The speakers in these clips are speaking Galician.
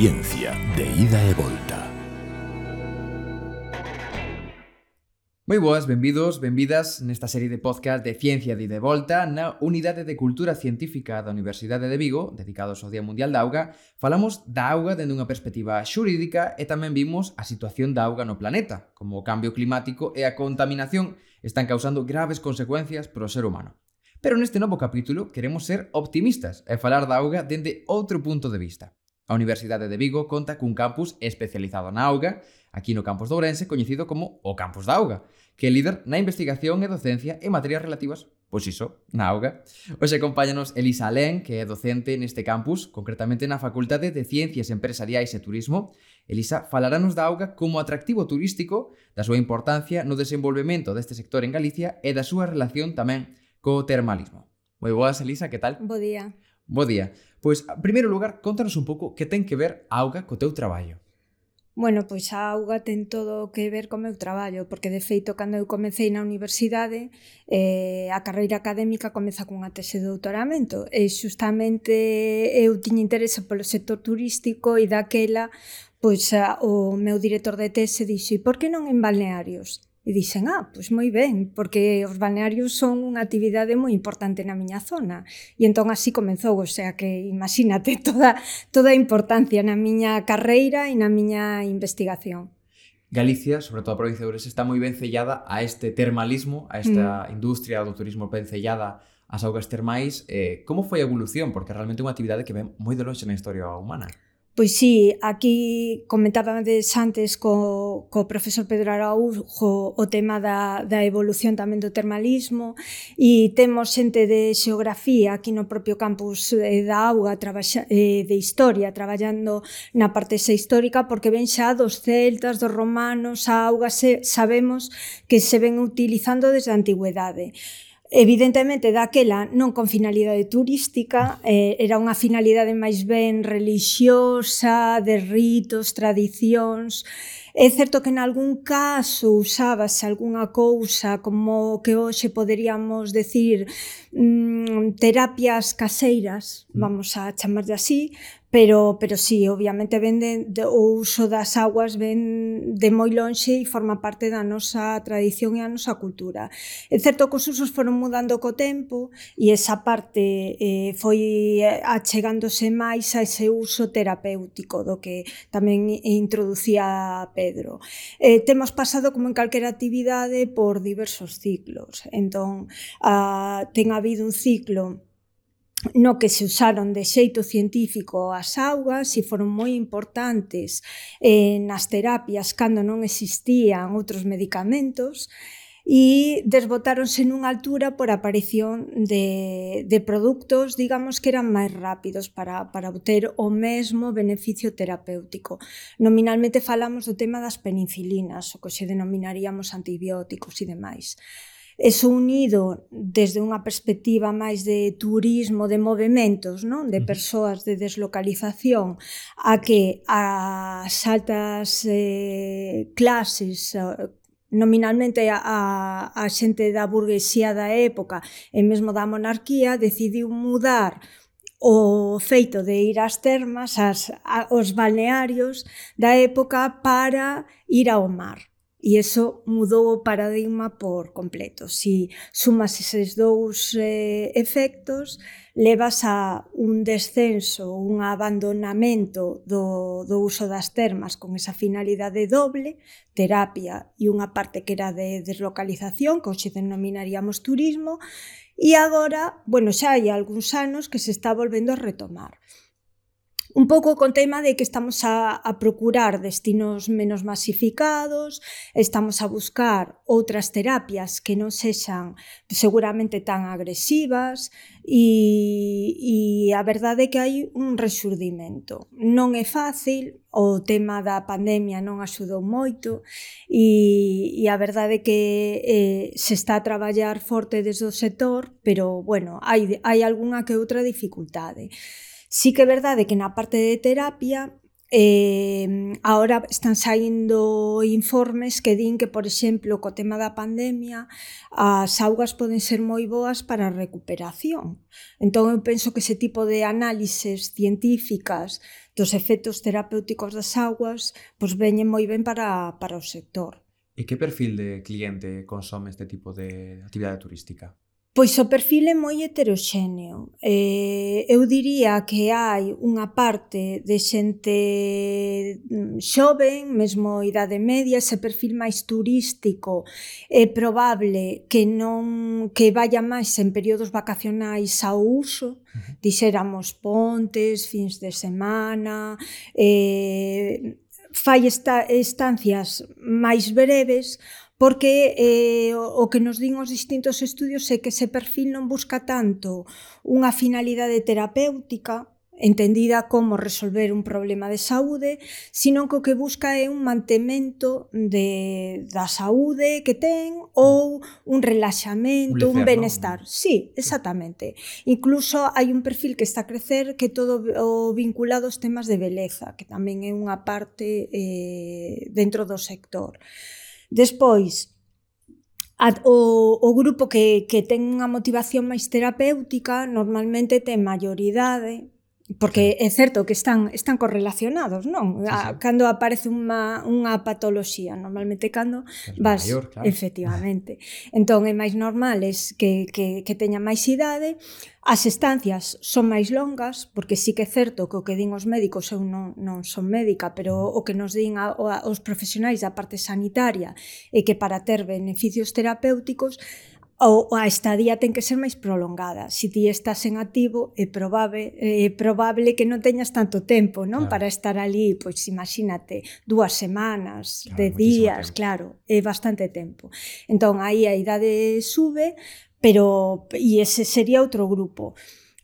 Ciencia de ida e volta. Moi boas, benvidos, benvidas nesta serie de podcast de Ciencia de ida e volta na Unidade de Cultura Científica da Universidade de Vigo, dedicados ao Día Mundial da Auga. Falamos da auga dende unha perspectiva xurídica e tamén vimos a situación da auga no planeta, como o cambio climático e a contaminación están causando graves consecuencias para o ser humano. Pero neste novo capítulo queremos ser optimistas e falar da auga dende outro punto de vista. A Universidade de Vigo conta cun campus especializado na auga, aquí no campus de Ourense, coñecido como o Campus da Auga, que é líder na investigación e docencia en materias relativas, pois iso, na auga. Hoxe acompáñanos Elisa Alén, que é docente neste campus, concretamente na Facultade de Ciencias Empresariais e Turismo. Elisa falarános da auga como atractivo turístico, da súa importancia no desenvolvemento deste sector en Galicia e da súa relación tamén co termalismo. Moi boas, Elisa, que tal? Bo día. Bo día. Pois, en primeiro lugar, contanos un pouco que ten que ver a auga co teu traballo. Bueno, pois a auga ten todo que ver co meu traballo, porque de feito, cando eu comecei na universidade, a carreira académica comeza cunha tese de doutoramento, e xustamente eu tiña interese polo sector turístico e daquela, pois o meu director de tese dixo, e por que non en balnearios? E dixen, pois moi ben, porque os balnearios son unha actividade moi importante na miña zona. E entón así comezou, o sea que imagínate toda a importancia na miña carreira e na miña investigación. Galicia, sobre todo a provincia de Ourense, está moi ben sellada a este termalismo, a esta industria do turismo ben sellada ás augas termais. Como foi a evolución? Porque realmente é unha actividade que ven moi de longe na historia humana. Pois sí, aquí comentábades antes co profesor Pedro Araújo o tema da evolución tamén do termalismo, e temos xente de xeografía aquí no propio campus da auga, de historia, traballando na parte esa histórica, porque ven xa dos celtas, dos romanos, a auga sabemos que se ven utilizando desde a antigüedade. Evidentemente, daquela non con finalidade turística, era unha finalidade máis ben relixiosa, de ritos, tradicións. É certo que en algún caso usábase algunha cousa como que hoxe poderíamos decir terapias caseiras, vamos a chamarlle así, pero sí, obviamente o uso das augas ven de moi lonxe e forma parte da nosa tradición e a nosa cultura. É certo que os usos foron mudando co tempo e esa parte foi achegándose máis a ese uso terapéutico do que tamén introducía Pedro. Temos pasado, como en calquera actividade, por diversos ciclos. Entón, ten habido un ciclo no que se usaron de xeito científico as augas e foron moi importantes nas terapias cando non existían outros medicamentos, e desbotáronse nunha altura por aparición de produtos, digamos, que eran máis rápidos para obter o mesmo beneficio terapéutico. Nominalmente falamos do tema das penicilinas, o que se denominaríamos antibióticos e demais. Eso unido desde unha perspectiva máis de turismo, de movementos, non? De persoas, de deslocalización, a que as altas clases, nominalmente a xente da burguesía da época e mesmo da monarquía, decidiu mudar o feito de ir ás termas, aos balnearios da época, para ir ao mar. E iso mudou o paradigma por completo. Si sumas eses dous efectos, levas a un descenso, un abandonamento do uso das termas con esa finalidade doble, terapia, e unha parte que era de deslocalización, que hoxe denominaríamos turismo, e agora, xa hai algúns anos que se está volvendo a retomar. Un pouco con tema de que estamos a procurar destinos menos masificados, estamos a buscar outras terapias que non sexan seguramente tan agresivas, e a verdade é que hai un rexurdimento. Non é fácil, o tema da pandemia non axudou moito, e a verdade é que se está a traballar forte desde o sector, pero, hai algunha que outra dificultade. Sí que é verdade que na parte de terapia Ahora están saindo informes que din que, por exemplo, co tema da pandemia, as augas poden ser moi boas para a recuperación. Entón, eu penso que ese tipo de análises científicas dos efectos terapéuticos das augas pois veñen moi ben para o sector. E que perfil de cliente consome este tipo de actividade turística? Pois o perfil é moi heteroxéneo. Eu diría que hai unha parte de xente xoven, mesmo idade media, ese perfil máis turístico é probable que vaya máis en períodos vacacionais ao uso, dixéramos pontes, fins de semana, fai estancias máis breves, porque o que nos din os distintos estudios é que ese perfil non busca tanto unha finalidade terapéutica, entendida como resolver un problema de saúde, sino que o que busca é un mantemento da saúde que ten ou un relaxamento, un benestar. Sí, exactamente. Incluso hai un perfil que está a crecer que todo o vinculado aos temas de beleza, que tamén é unha parte dentro do sector. Despois, o grupo que ten unha motivación máis terapéutica normalmente ten maioridade, porque é certo que están correlacionados, non? Sí. Cando aparece unha patoloxía, normalmente cando vas... maior, claro. Efectivamente. Entón, é máis normal que teña máis idade. As estancias son máis longas, porque sí que é certo que o que din os médicos, eu non son médica, pero o que nos din os profesionais da parte sanitaria é que para ter beneficios terapéuticos a estadía ten que ser máis prolongada. Se ti estás en activo, é probable que non teñas tanto tempo, non? Claro. Para estar ali, pois imagínate, 2 semanas, claro, 10 días, claro, é bastante tempo. Entón, aí a idade sube, e ese sería outro grupo.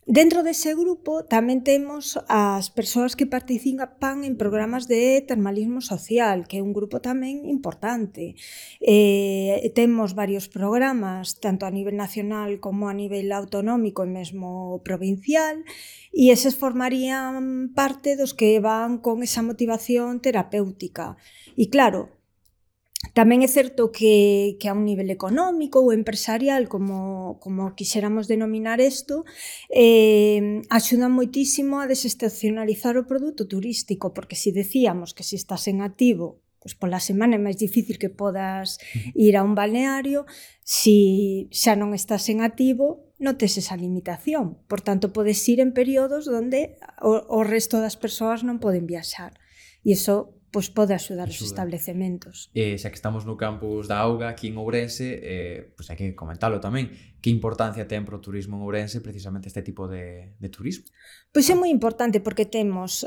Dentro dese grupo tamén temos as persoas que participan en programas de termalismo social, que é un grupo tamén importante. Temos varios programas, tanto a nivel nacional como a nivel autonómico e mesmo provincial, e eses formarían parte dos que van con esa motivación terapéutica. E claro, tamén é certo que a un nivel económico ou empresarial, como quixéramos denominar isto, axuda moitísimo a desestacionalizar o produto turístico, porque se decíamos que se estás en activo, pois pola semana é máis difícil que podas ir a un balneario, se xa non estás en activo, non tes esa limitación. Por tanto, podes ir en períodos onde o resto das persoas non poden viaxar. E iso pois pode axudar os establecementos. Xa que estamos no campus da Auga, aquí en Ourense, pois hai que comentalo tamén. Que importancia ten pro turismo en Ourense precisamente este tipo de turismo? Pois é moi importante porque temos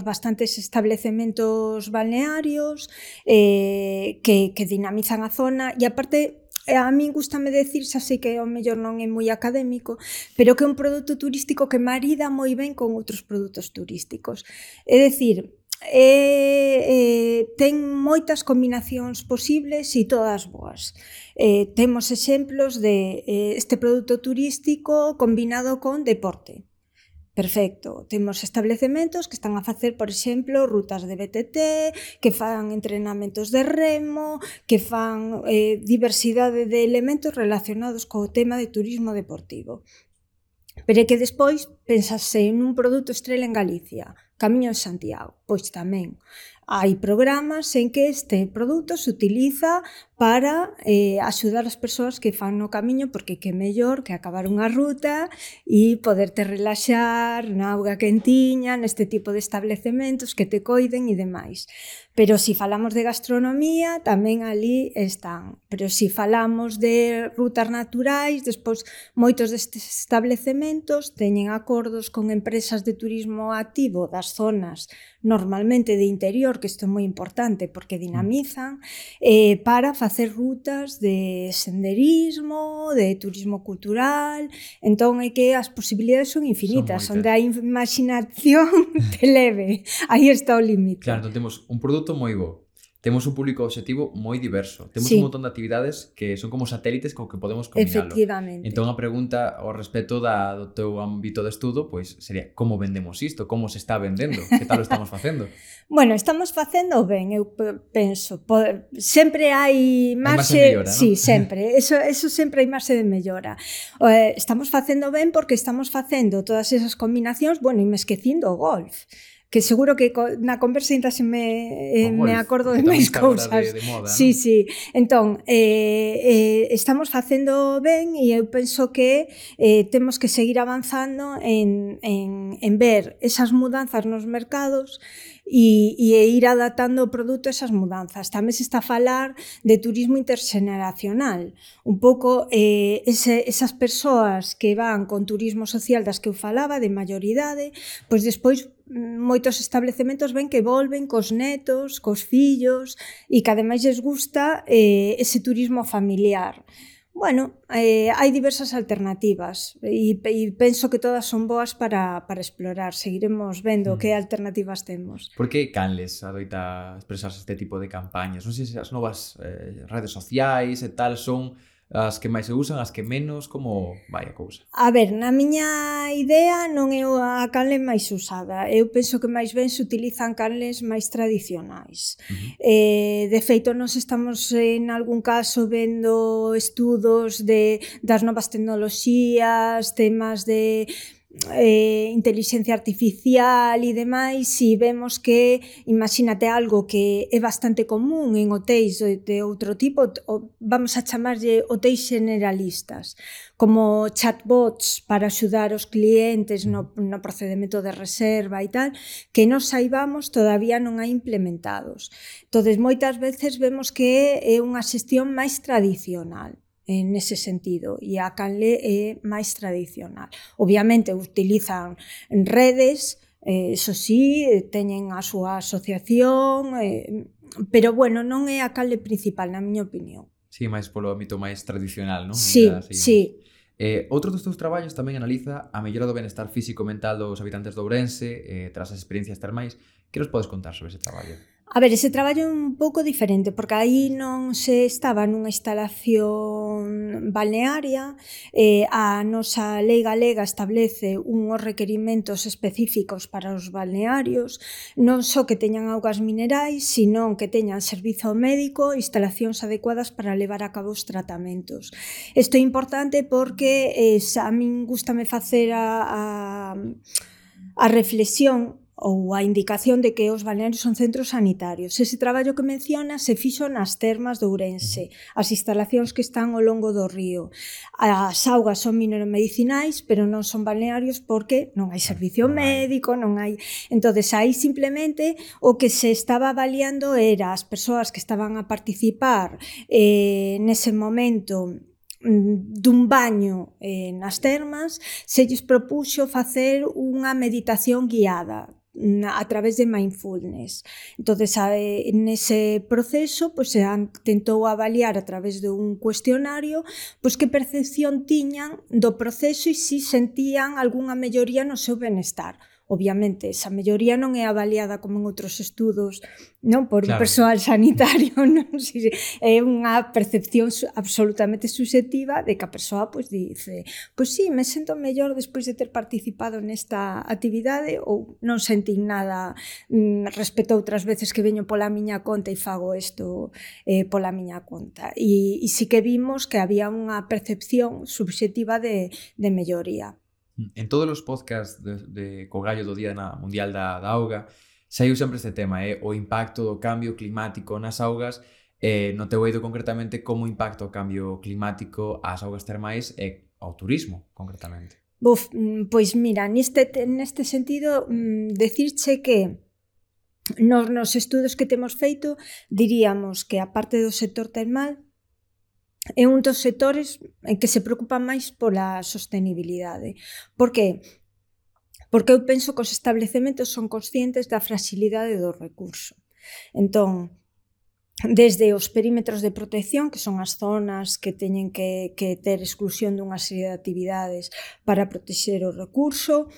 bastantes establecementos balnearios que dinamizan a zona e aparte a min gustame decir, xa sei que ao mellor non é moi académico, pero que é un produto turístico que marida moi ben con outros produtos turísticos. É dicir, ten moitas combinacións posibles e todas boas. Temos exemplos de este produto turístico combinado con deporte. Perfecto. Temos establecementos que están a facer, por exemplo, rutas de BTT, que fan entrenamentos de remo, que fan diversidade de elementos relacionados co tema de turismo deportivo. Pero é que despois pensase en un produto estrela en Galicia, Camiño de Santiago, pois tamén hai programas en que este produto se utiliza para axudar as persoas que fan no camiño, porque que mellor que acabar unha ruta e poderte relaxar na auga quentiña, neste tipo de establecementos que te coiden e demais. Pero se falamos de gastronomía, tamén ali están. Pero se falamos de rutas naturais, despois moitos destes establecementos teñen acordos con empresas de turismo activo das zonas normalmente de interior, que isto é moi importante porque dinamizan, para facer rutas de senderismo, de turismo cultural. Entón é que as posibilidades son infinitas, onde a imaginación te leve. Aí está o límite. Claro, entón temos un produto moi bo, temos un público objetivo moi diverso. Temos Sí. un montón de actividades que son como satélites co que podemos combinalo. Efectivamente. Entón, a pregunta ao respecto do teu ámbito de estudo, pois sería como vendemos isto? Como se está vendendo? Que tal o estamos facendo? Bueno, estamos facendo ben, eu penso. Sempre hai marxe marxe, de mellora, non? sí, sempre. Eso sempre hai marxe de mellora. Estamos facendo ben porque estamos facendo todas esas combinacións, bueno, e me esquecindo o golf, que seguro que na conversa ainda se me acordo de máis cousas. De moda, sí, non? sí. Entón, estamos facendo ben e eu penso que temos que seguir avanzando en ver esas mudanzas nos mercados e ir adaptando o produto a esas mudanzas. Tamén se está a falar de turismo interxeneracional. Un pouco esas persoas que van con turismo social das que eu falaba, de maioridade, pois despois moitos establecementos ven que volven cos netos, cos fillos e que ademais les gusta ese turismo familiar. Bueno, hai diversas alternativas e penso que todas son boas para explorar. Seguiremos vendo que alternativas temos. Por que Canles adoita expresarse este tipo de campañas? Non sei se as novas redes sociais e tal son as que máis se usan, as que menos, como vai a cousa? A ver, na miña idea non é a canle máis usada. Eu penso que máis ben se utilizan canles máis tradicionais. De feito, nos estamos en algún caso vendo estudos das novas tecnoloxías, temas de intelixencia artificial e demais, e vemos que, imagínate algo que é bastante común en hotéis de outro tipo, vamos a chamarlle hotéis generalistas, como chatbots para axudar os clientes no procedimento de reserva e tal, que nos saibamos todavía non hai implementados. Entón, moitas veces vemos que é unha xestión máis tradicional en ese sentido, e a canle é máis tradicional. Obviamente utilizan redes, eso sí, teñen a súa asociación, pero bueno, non é a canle principal, na miña opinión. Sí, máis polo ámbito máis tradicional, non? Sí, sí. Outro dos teus traballos tamén analiza a mellora do benestar físico e mental dos habitantes de Ourense tras as experiencias termais. Que nos podes contar sobre ese traballo? A ver, ese traballo é un pouco diferente, porque aí non se estaba nunha instalación balnearia, a nosa lei galega establece unhos requerimentos específicos para os balnearios, non só que teñan augas minerais, sino que teñan servizo médico, instalacións adecuadas para levar a cabo os tratamentos. Isto é importante porque a min gústame facer a reflexión ou a indicación de que os balnearios son centros sanitarios. Ese traballo que menciona se fixo nas termas de Ourense, as instalacións que están ao longo do río. As augas son mineromedicinais, pero non son balnearios porque non hai servicio médico, non hai... Entón, aí simplemente o que se estaba avaliando era as persoas que estaban a participar nese momento dun baño nas termas, se lles propuxo facer unha meditación guiada a través de mindfulness. Entón, nese proceso, se tentou avaliar a través dun cuestionario que percepción tiñan do proceso e se sentían algunha melloría no seu benestar. Obviamente, esa melloría non é avaliada como en outros estudos, non por un persoal sanitario, non? É unha percepción absolutamente subjetiva de que a persoa dice, sí, me sento mellor despois de ter participado nesta actividade, ou non sentín nada respecto a outras veces que veño pola miña conta e fago isto pola miña conta. E sí que vimos que había unha percepción subjetiva de melloría. En todos os podcasts de Cogallo do Día Mundial da Auga saiu sempre este tema, o impacto do cambio climático nas augas, no teu eido concretamente como impacta o cambio climático ás augas termais e ao turismo concretamente. Pois mira, neste sentido, decirche que nos estudos que temos feito diríamos que a parte do sector termal é un dos sectores en que se preocupa máis pola sostenibilidade. Por que? Porque eu penso que os establecementos son conscientes da fragilidade do recurso. Entón, desde os perímetros de protección, que son as zonas que teñen que ter exclusión dunha serie de actividades para protexer o recurso,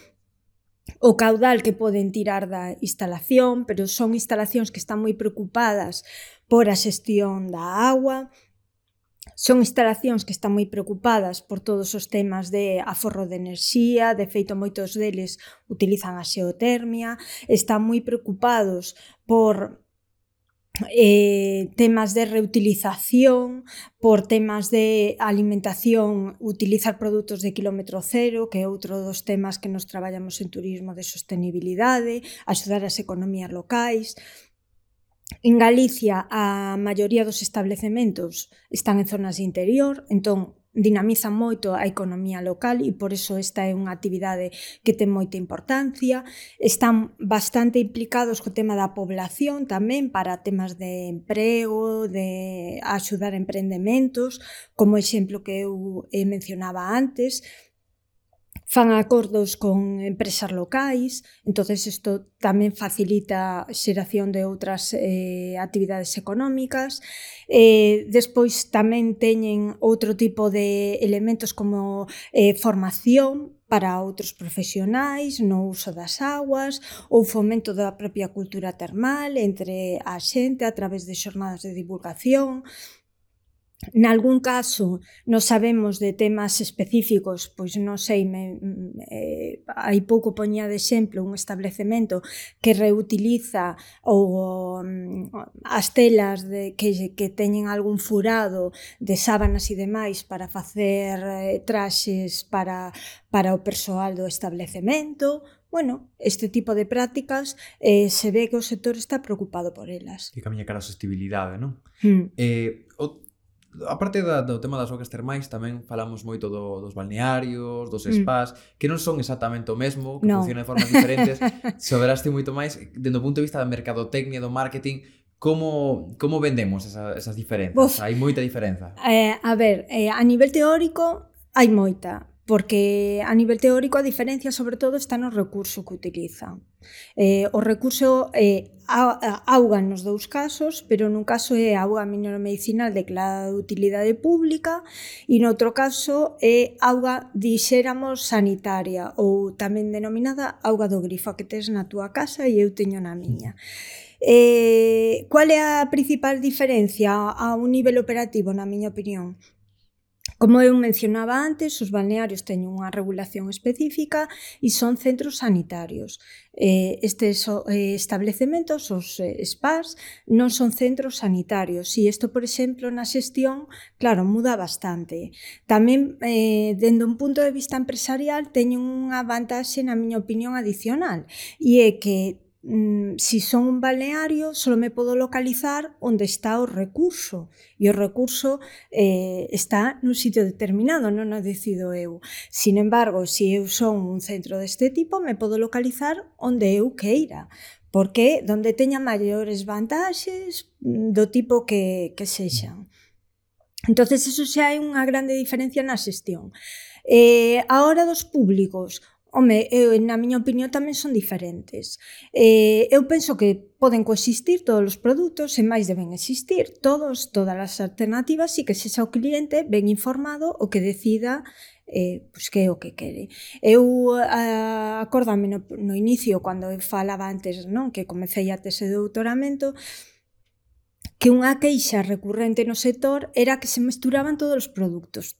o caudal que poden tirar da instalación, pero son instalacións que están moi preocupadas por a xestión da agua, son instalacións que están moi preocupadas por todos os temas de aforro de enerxía, de feito moitos deles utilizan a xeotermia, están moi preocupados por temas de reutilización, por temas de alimentación, utilizar produtos de quilómetro cero, que é outro dos temas que nos traballamos en turismo de sostenibilidade, axudar as economías locais. En Galicia, a maioría dos establecementos están en zonas de interior, entón dinamizan moito a economía local e por iso esta é unha actividade que ten moita importancia. Están bastante implicados co tema da población tamén para temas de emprego, de axudar a emprendementos, como exemplo que eu mencionaba antes. Fan acordos con empresas locais, entonces isto tamén facilita a xeración de outras actividades económicas. Despois tamén teñen outro tipo de elementos como formación para outros profesionais no uso das aguas ou fomento da propia cultura termal entre a xente a través de xornadas de divulgación. Nalgún caso, nos sabemos de temas específicos, pois non sei, hai pouco poñía de exemplo un establecemento que reutiliza as telas que teñen algún furado de sábanas e demais para facer traxes para o persoal do establecemento. Bueno, este tipo de prácticas se ve que o sector está preocupado por elas. Que camiña cara a sostenibilidade, non? A parte do tema das augas termais, tamén falamos moito dos balnearios, dos spas, que non son exactamente o mesmo, que funcionan de formas diferentes. Soberaste moito máis, dende o punto de vista da mercadotecnia, do marketing, como vendemos esas diferenzas? Hai moita diferenza? A ver, a nivel teórico hai moita, porque a nivel teórico a diferencia sobre todo está no recurso que utilizan. O recurso é auga nos dous casos, pero nun caso é auga mineromedicinal declarada de utilidade pública e noutro caso é auga, dixéramos, sanitaria ou tamén denominada auga do grifo que tes na túa casa e eu teño na miña. Qual é a principal diferencia a un nivel operativo, na miña opinión? Como eu mencionaba antes, os balnearios teñen unha regulación específica e son centros sanitarios. Estes establecementos, os spas, non son centros sanitarios e isto, por exemplo, na xestión, claro, muda bastante. Tamén, dende un punto de vista empresarial, teñen unha vantaxe, na miña opinión, adicional e é que si son un balneario, só me podo localizar onde está o recurso e o recurso está nun sitio determinado, non o decido eu. Sin embargo, se eu son un centro deste tipo, me podo localizar onde eu queira, porque onde teña maiores vantaxes do tipo que sexan. Entonces, eso xa é unha grande diferencia na xestión. A hora dos públicos, na miña opinión tamén son diferentes. Eu penso que poden coexistir todos os produtos e máis deben existir todas as alternativas e que sexa o cliente ben informado o que decida que é o que quere. Eu acórdame no inicio, cando eu falaba antes, non, que comecei a tese de doutoramento, que unha queixa recurrente no sector era que se mesturaban todos os produtos.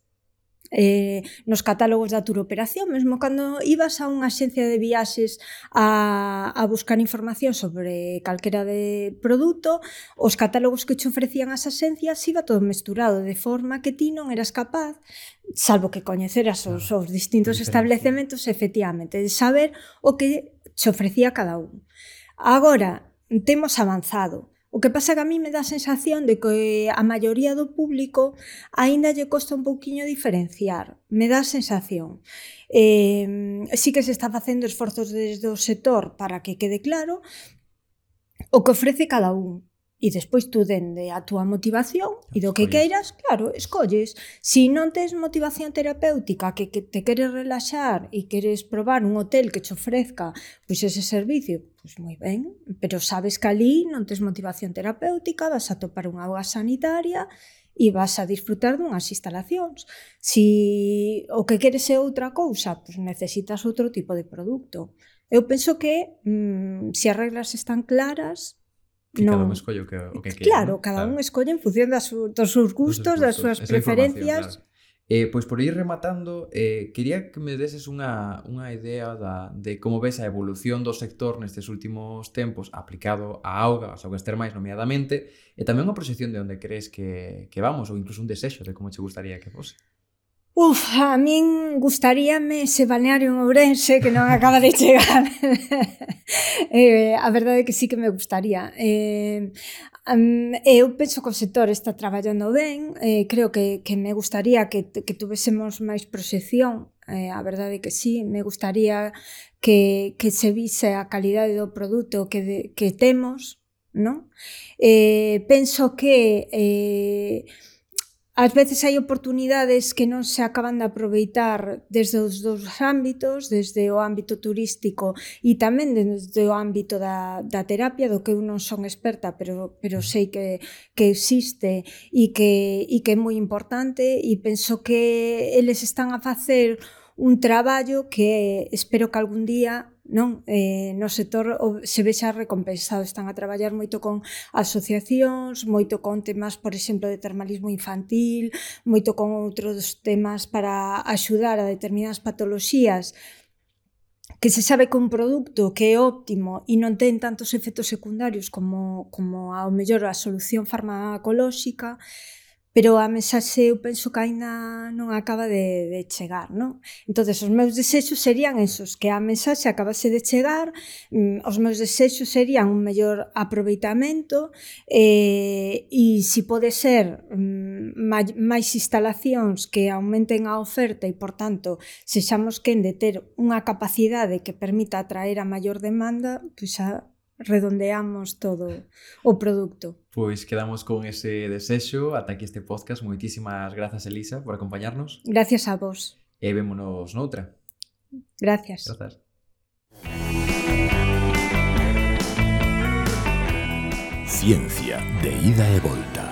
Nos catálogos da turoperación, mesmo cando ibas a unha axencia de viaxes a buscar información sobre calquera de produto, os catálogos que che ofrecían as axencias iba todo mesturado, de forma que ti non eras capaz, salvo que coñeceras os distintos establecementos, efectivamente, de saber o que che ofrecía cada un. Agora, temos avanzado. O que pasa que a mí me dá a sensación de que a maioría do público aínda lle costa un pouquiño diferenciar. Me dá a sensación. Sí que se está facendo esforzos desde o sector para que quede claro o que ofrece cada un. E despois tú, dende a túa motivación e do que queiras, claro, escolles. Si non tes motivación terapéutica, que te queres relaxar e queres probar un hotel que che ofrezca pois ese servicio, pois moi ben, pero sabes que ali non tes motivación terapéutica, vas a topar unha auga sanitaria e vas a disfrutar dunhas instalacións. Si o que queres é outra cousa, pois necesitas outro tipo de produto. Eu penso que se as regras están claras, que cada un escolle o que quere. Claro, cada un escolle en función dos seus gustos, das súas preferencias. Pois por ir rematando, quería que me deses unha idea de como ves a evolución do sector nestes últimos tempos aplicado á auga, ás augas termais nomeadamente, e tamén unha proxección de onde crees que vamos, ou incluso un desexo de como che gustaría que fose. A min gustaríame ese balneario en Ourense que non acaba de chegar. A verdade é que sí que me gustaría. Eu penso que o sector está traballando ben, creo que me gustaría que tuvésemos máis proxección, a verdade é que sí, me gustaría que se vise a calidade do produto que temos, non? Penso que ás veces hai oportunidades que non se acaban de aproveitar desde os dous ámbitos, desde o ámbito turístico e tamén desde o ámbito da terapia, do que eu non son experta, pero sei que existe e que é moi importante, e penso que eles están a facer un traballo que espero que algún día no sector se vexa recompensado. Están a traballar moito con asociacións, moito con temas, por exemplo, de termalismo infantil, moito con outros temas para axudar a determinadas patoloxías que se sabe que un produto que é óptimo e non ten tantos efectos secundarios como ao mellor a solución farmacolóxica, pero a mensaxe eu penso que aínda non acaba de chegar, non? Entonces, os meus desexos serían esos, que a mensaxe acabase de chegar, os meus desexos serían un mellor aproveitamento e se pode ser máis instalacións que aumenten a oferta e, por tanto, sexamos quen de ter unha capacidade que permita atraer a maior demanda, pois xa redondeamos todo o produto. Pois quedamos con ese desexo. Ata aquí este podcast. Moitísimas grazas, Elisa, por acompañarnos. Gracias a vos. E vémonos noutra. Gracias. Ciencia de ida e volta.